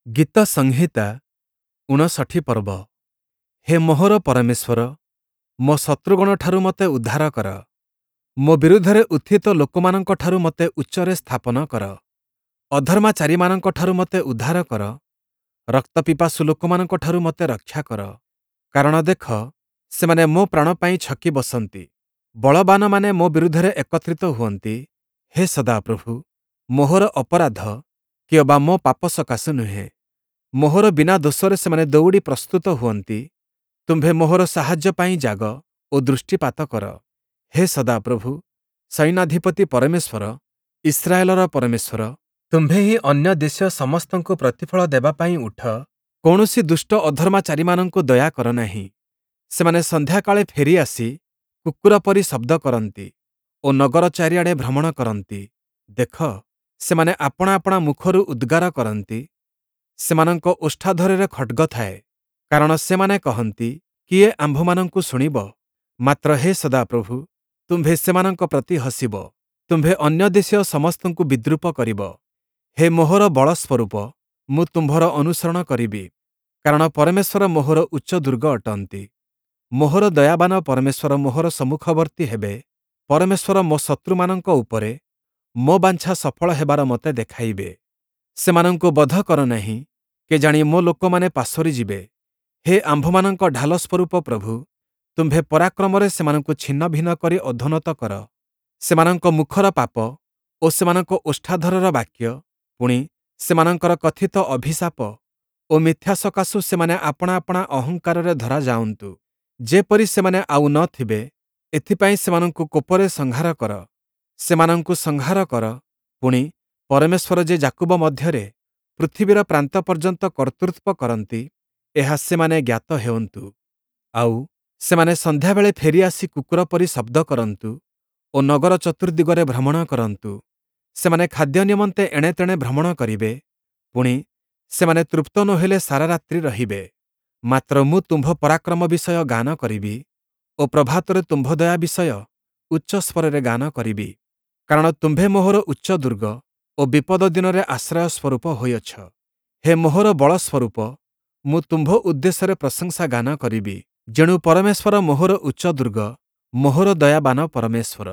ଗୀତ ସଂହିତା 59 ପର୍ବ। ହେ ମୋହର ପରମେଶ୍ୱର, ମୋ ଶତ୍ରୁଗଣଠାରୁ ମୋତେ ଉଦ୍ଧାର କର। ମୋ ବିରୁଦ୍ଧରେ ଉତ୍ଥିତ ଲୋକମାନଙ୍କଠାରୁ ମୋତେ ଉଚ୍ଚରେ ସ୍ଥାପନ କର। ଅଧର୍ମାଚାରୀମାନଙ୍କଠାରୁ ମୋତେ ଉଦ୍ଧାର କର। ରକ୍ତପିପାସୁ ଲୋକମାନଙ୍କଠାରୁ ମୋତେ ରକ୍ଷା କର। କାରଣ ଦେଖ, ସେମାନେ ମୋ ପ୍ରାଣ ପାଇଁ ଛକି ବସନ୍ତି। ବଳବାନମାନେ ମୋ ବିରୁଦ୍ଧରେ ଏକତ୍ରିତ ହୁଅନ୍ତି। ହେ ସଦାପ୍ରଭୁ, ମୋହର ଅପରାଧ କିଅବା ମୋ ପାପ ସକାଶୁ ନୁହେଁ। ମୋହର ବିନା ଦୋଷରେ ସେମାନେ ଦଉଡ଼ି ପ୍ରସ୍ତୁତ ହୁଅନ୍ତି। ତୁମ୍ଭେ ମୋହର ସାହାଯ୍ୟ ପାଇଁ ଜାଗ ଓ ଦୃଷ୍ଟିପାତ କର। ହେ ସଦାପ୍ରଭୁ, ସୈନ୍ୟାଧିପତି ପରମେଶ୍ୱର, ଇସ୍ରାଏଲର ପରମେଶ୍ୱର, ତୁମ୍ଭେ ହିଁ ଅନ୍ୟ ଦେଶୀୟ ସମସ୍ତଙ୍କୁ ପ୍ରତିଫଳ ଦେବା ପାଇଁ ଉଠ। କୌଣସି ଦୁଷ୍ଟ ଅଧର୍ମାଚାରୀମାନଙ୍କୁ ଦୟା କର ନାହିଁ। ସେମାନେ ସନ୍ଧ୍ୟାକାଳେ ଫେରିଆସି କୁକୁର ପରି ଶବ୍ଦ କରନ୍ତି ଓ ନଗର ଚାରିଆଡ଼େ ଭ୍ରମଣ କରନ୍ତି। ଦେଖ, ସେମାନେ ଆପଣା ଆପଣା ମୁଖରୁ ଉଦ୍ଗାର କରନ୍ତି। ସେମାନଙ୍କ ଓଷ୍ଠାଧରରେ ଖଡ଼୍ଗ ଥାଏ। କାରଣ ସେମାନେ କହନ୍ତି, କିଏ ଆମ୍ଭମାନଙ୍କୁ ଶୁଣିବ? ମାତ୍ର ହେ ସଦାପ୍ରଭୁ, ତୁମ୍ଭେ ସେମାନଙ୍କ ପ୍ରତି ହସିବ। ତୁମ୍ଭେ ଅନ୍ୟ ଦେଶୀୟ ସମସ୍ତଙ୍କୁ ବିଦ୍ରୂପ କରିବ। ହେ ମୋହର ବଳସ୍ୱରୂପ, ମୁଁ ତୁମ୍ଭର ଅନୁସରଣ କରିବି। କାରଣ ପରମେଶ୍ୱର ମୋହର ଉଚ୍ଚ ଦୁର୍ଗ ଅଟନ୍ତି। ମୋହର ଦୟାବାନ ପରମେଶ୍ୱର ମୋହର ସମ୍ମୁଖବର୍ତ୍ତୀ ହେବେ। ପରମେଶ୍ୱର ମୋ ଶତ୍ରୁମାନଙ୍କ ଉପରେ ମୋ ବାଞ୍ଛା ସଫଳ ହେବାର ମୋତେ ଦେଖାଇବେ। ସେମାନଙ୍କୁ ବଧ କର ନାହିଁ, କେଜାଣି ମୋ ଲୋକମାନେ ପାସୋରି ଯିବେ। ହେ ଆମ୍ଭମାନଙ୍କ ଢାଲ ସ୍ୱରୂପ ପ୍ରଭୁ, ତୁମ୍ଭେ ପରାକ୍ରମରେ ସେମାନଙ୍କୁ ଛିନ୍ନଭିନ୍ନ କରି ଅଧୋନତ କର। ସେମାନଙ୍କ ମୁଖର ପାପ ଓ ସେମାନଙ୍କ ଓଷ୍ଠାଧରର ବାକ୍ୟ, ପୁଣି ସେମାନଙ୍କର କଥିତ ଅଭିଶାପ ଓ ମିଥ୍ୟା ସକାଶୁ ସେମାନେ ଆପଣା ଆପଣା ଅହଙ୍କାରରେ ଧରା ଯାଉନ୍ତୁ। ଯେପରି ସେମାନେ ଆଉ ନ ଥିବେ, ଏଥିପାଇଁ ସେମାନଙ୍କୁ କୋପରେ ସଂହାର କର। ସେମାନଙ୍କୁ ସଂହାର କର। ପୁଣି ପରମେଶ୍ୱର ଯେ ଯାକୁବ ମଧ୍ୟରେ ପୃଥିବୀର ପ୍ରାନ୍ତ ପର୍ଯ୍ୟନ୍ତ କର୍ତ୍ତୃତ୍ୱ କରନ୍ତି, ଏହା ସେମାନେ ଜ୍ଞାତ ହେଉନ୍ତୁ। ଆଉ ସେମାନେ ସନ୍ଧ୍ୟାବେଳେ ଫେରିଆସି କୁକୁର ପରି ଶବ୍ଦ କରନ୍ତୁ ଓ ନଗର ଚତୁର୍ଦ୍ଦିଗରେ ଭ୍ରମଣ କରନ୍ତୁ। ସେମାନେ ଖାଦ୍ୟ ନିମନ୍ତେ ଏଣେତେଣେ ଭ୍ରମଣ କରିବେ। ପୁଣି ସେମାନେ ତୃପ୍ତ ନୋହିଲେ ସାରା ରାତ୍ରି ରହିବେ। ମାତ୍ର ମୁଁ ତୁମ୍ଭ ପରାକ୍ରମ ବିଷୟ ଗାନ କରିବି ଓ ପ୍ରଭାତରେ ତୁମ୍ଭ ଦୟା ବିଷୟ ଉଚ୍ଚ ସ୍ୱରରେ ଗାନ କରିବି। କାରଣ ତୁମ୍ଭେ ମୋହର ଉଚ୍ଚ ଦୁର୍ଗ ଓ ବିପଦ ଦିନରେ ଆଶ୍ରୟ ସ୍ୱରୂପ ହୋଇଅଛ। ହେ ମୋହର ବଳ ସ୍ୱରୂପ, ମୁଁ ତୁମ୍ଭ ଉଦ୍ଦେଶ୍ୟରେ ପ୍ରଶଂସା ଗାନ କରିବି। ଯେଣୁ ପରମେଶ୍ୱର ମୋହର ଉଚ୍ଚ ଦୁର୍ଗ, ମୋହର ଦୟାବାନ ପରମେଶ୍ୱର।